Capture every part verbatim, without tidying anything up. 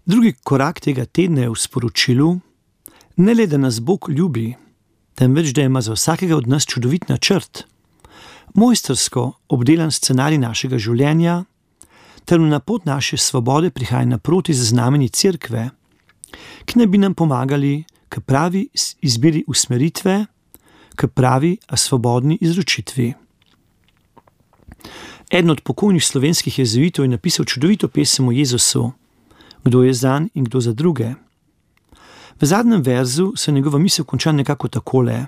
Drugi korak tega tedna je v sporočilu, ne le da nas Bog ljubi, temveč da ima za vsakega od nas čudovit načrt, mojstrsko obdelan scenarij našega življenja, ter na pot naše svobode prihaja naproti z znamenji cerkve, ki naj bi nam pomagali k pravi izbiri usmeritve, k pravi, a svobodni izročitvi. Eden od pokojnih slovenskih jezuitov je napisal čudovito pesem o Jezusu, kdo je zanj in kdo za druge. V zadnjem verzu se njegova misel konča nekako takole: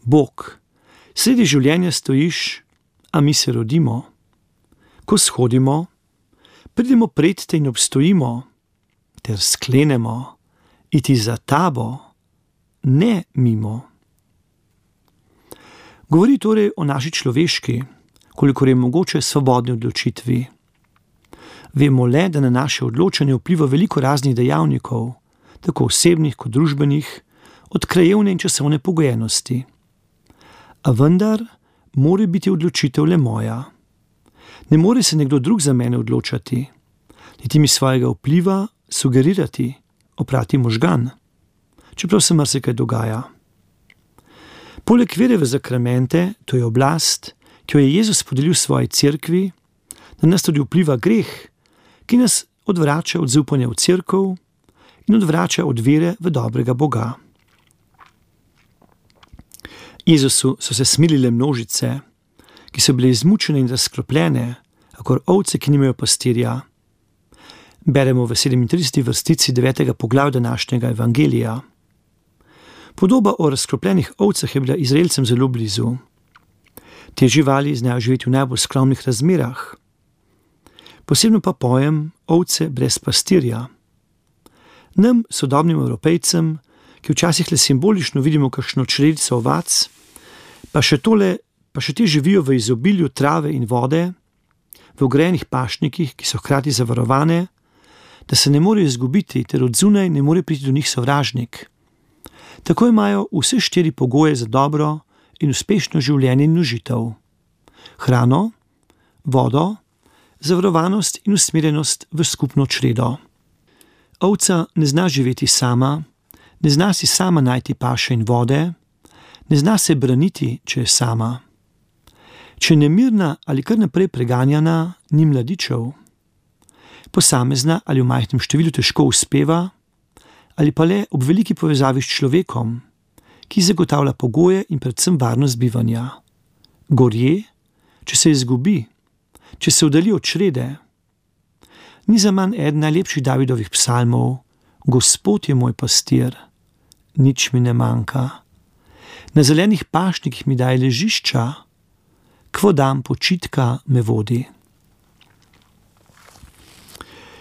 Bog, sredi življenja stojiš, a mi se rodimo. Ko shodimo, pridemo pred te in obstojimo, ter sklenemo iti za tabo, ne mimo. Govori torej o naši človeški, kolikor je mogoče, svobodni odločitvi. Vemo le, da na naše odločanje vpliva veliko raznih dejavnikov, tako osebnih kot družbenih, od krajevne in časovne pogojenosti. A vendar mora biti odločitev le moja. Ne more se nekdo drug za mene odločati, niti mi svojega vpliva sugerirati, oprati možgan, čeprav se marsikaj dogaja. Poleg vere v zakramente, to je oblast, ki jo je Jezus podelil svoji cerkvi, na nas tudi vpliva greh, ki nas odvrača od zaupanja v cerkev in odvrača od vere v dobrega Boga. Jezusu so se smilile množice, ki so bile izmučene in razkropljene, kakor ovce, ki nimajo pastirja. Beremo v sedemintrideseti vrstici devetega poglavja današnjega evangelija. Podoba o razkropljenih ovcah je bila Izraelcem zelo blizu. Te živali znajo živeti v najbolj skromnih razmerah. Posebno pa pojem ovce brez pastirja. Nam, sodobnim Evropejcem, ki včasih le simbolično vidimo kakšno čredico ovac, pa še tole, pa še te živijo v izobilju trave in vode, v ogrejenih pašnikih, ki so hkrati zavarovane, da se ne morejo izgubiti, ter od zunaj ne more priti do njih sovražnik. Tako imajo vse štiri pogoje za dobro in uspešno življenje in užitev. Hrano, vodo, zavarovanost in usmerjenost v skupno čredo. Ovca ne zna živeti sama, ne zna si sama najti paše in vode, ne zna se braniti, če je sama. Če je nemirna ali kar naprej preganjana, ni mladičev. Posamezna ali v majhnem številu težko uspeva, ali pa le ob veliki povezavi s človekom, ki zagotavlja pogoje in predvsem varnost bivanja. Gorje, če se izgubi, če se oddalji od črede. Ni za manj eden najlepših Davidovih psalmov: Gospod je moj pastir, nič mi ne manjka. Na zelenih pašnikih mi daje ležišča, k vodam počitka me vodi.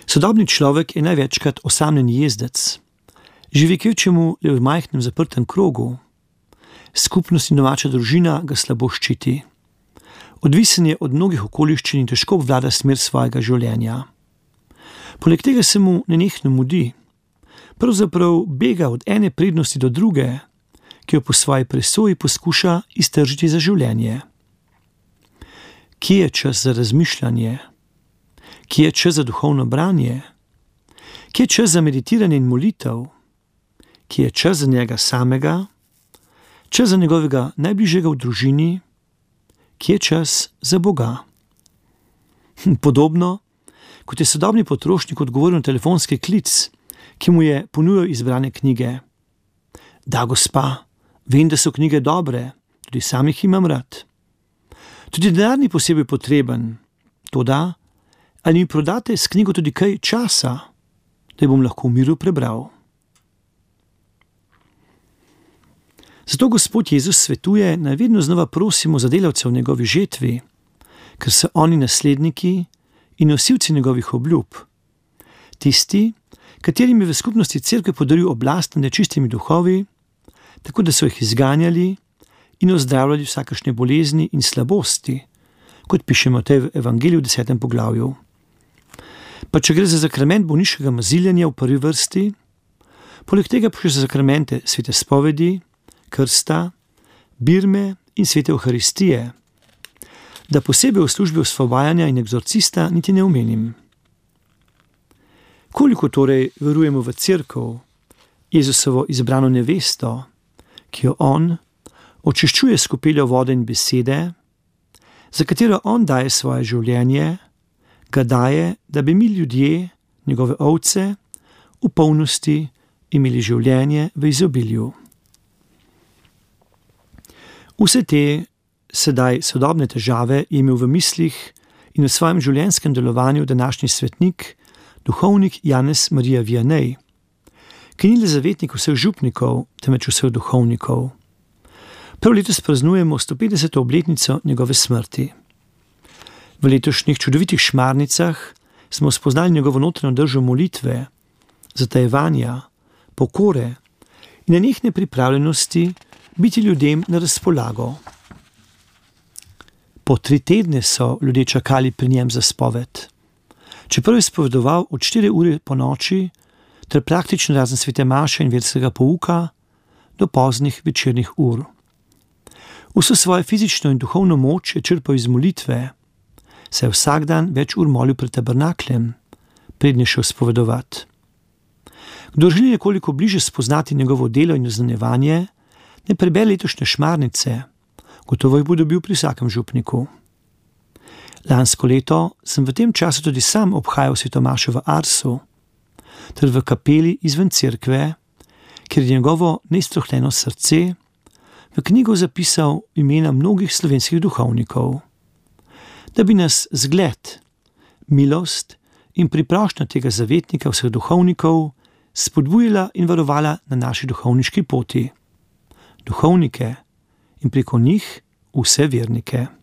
Sodobni človek je največkrat osamljen jezdec. Živi kvečjemu le v majhnem zaprtem krogu. Skupnost in domača družina ga slabo ščiti. Odvisen je od mnogih okoliščin in težko obvlada smer svojega življenja. Poleg tega se mu nenehno mudi. Pravzaprav bega od ene prednosti do druge, ki jo po svoji presoji poskuša iztržiti za življenje. Kje je čas za razmišljanje? Kje je čas za duhovno branje? Kje je čas za meditiranje in molitev? Kje je čas za njega samega? Čas za njegovega najbližjega v družini? Kje je čas za Boga? Podobno, kot je sodobni potrošnik odgovoril na telefonski klic, ki mu je ponujal izbrane knjige. Da, gospa, vem, da so knjige dobre, tudi sam jih imam rad. Tudi denar ni posebej potreben, toda, ali mi prodate s knjigo tudi kaj časa, da jo bom lahko v miru prebral. Zato Gospod Jezus svetuje, naj vedno znova prosimo za delavce v njegovi žetvi, ker so oni nasledniki in nosilci njegovih obljub. Tisti, katerim je v skupnosti cerkve podaril oblast nad nečistimi duhovi, tako da so jih izganjali in ozdravljali vsakašne bolezni in slabosti, kot pišemo v tej evangeliju v desetem poglavju. Pa če gre za zakrament bolniškega maziljenja v prvi vrsti, poleg tega pa še za zakramente svete spovedi, krsta, birme in svete Evharistije, da posebej v službi osvobajanja in egzorcista niti ne omenim. Koliko torej verujemo v Cerkev, Jezusovo izbrano nevesto, ki jo on očiščuje s kopeljo vode in besede, za katero on daje svoje življenje, ga daje, da bi mi ljudje, njegove ovce, v polnosti imeli življenje v izobilju. Vse te sedaj sodobne težave je imel v mislih in v svojem življenjskem delovanju današnji svetnik, duhovnik Janez Marija Vianney, ki ni le zavetnik vseh župnikov, temveč vseh duhovnikov. Prav letos praznujemo sto petdeseto obletnico njegove smrti. V letošnjih čudovitih šmarnicah smo spoznali njegovo notranjo držo molitve, zatajevanja, pokore in nenehne pripravljenosti biti ljudem na razpolago. Po tri tedne so ljudje čakali pri njem za spoved. Čeprav je spovedoval od štiri ure po noči, ter praktično razen svete maše in verskega pouka, do poznih večernih ur. Vso svojo fizično in duhovno moč je črpal iz molitve, saj je vsak dan več ur molil pred tabernakljem, prednje šel spovedovati. Kdo želi nekoliko bliže spoznati njegovo delo in oznanjevanje, ne prebere letošnje šmarnice, gotovo jih bo dobil pri vsakem župniku. Lansko leto sem v tem času tudi sam obhajal sveto mašo v Arsu, ter v kapeli izven cerkve, kjer je njegovo neiztrohljeno srce v knjigo zapisal imena mnogih slovenskih duhovnikov, da bi nas zgled, milost in priprošnja tega zavetnika vseh duhovnikov spodbujala in varovala na naši duhovniški poti. Duhovnike in preko njih vse vernike.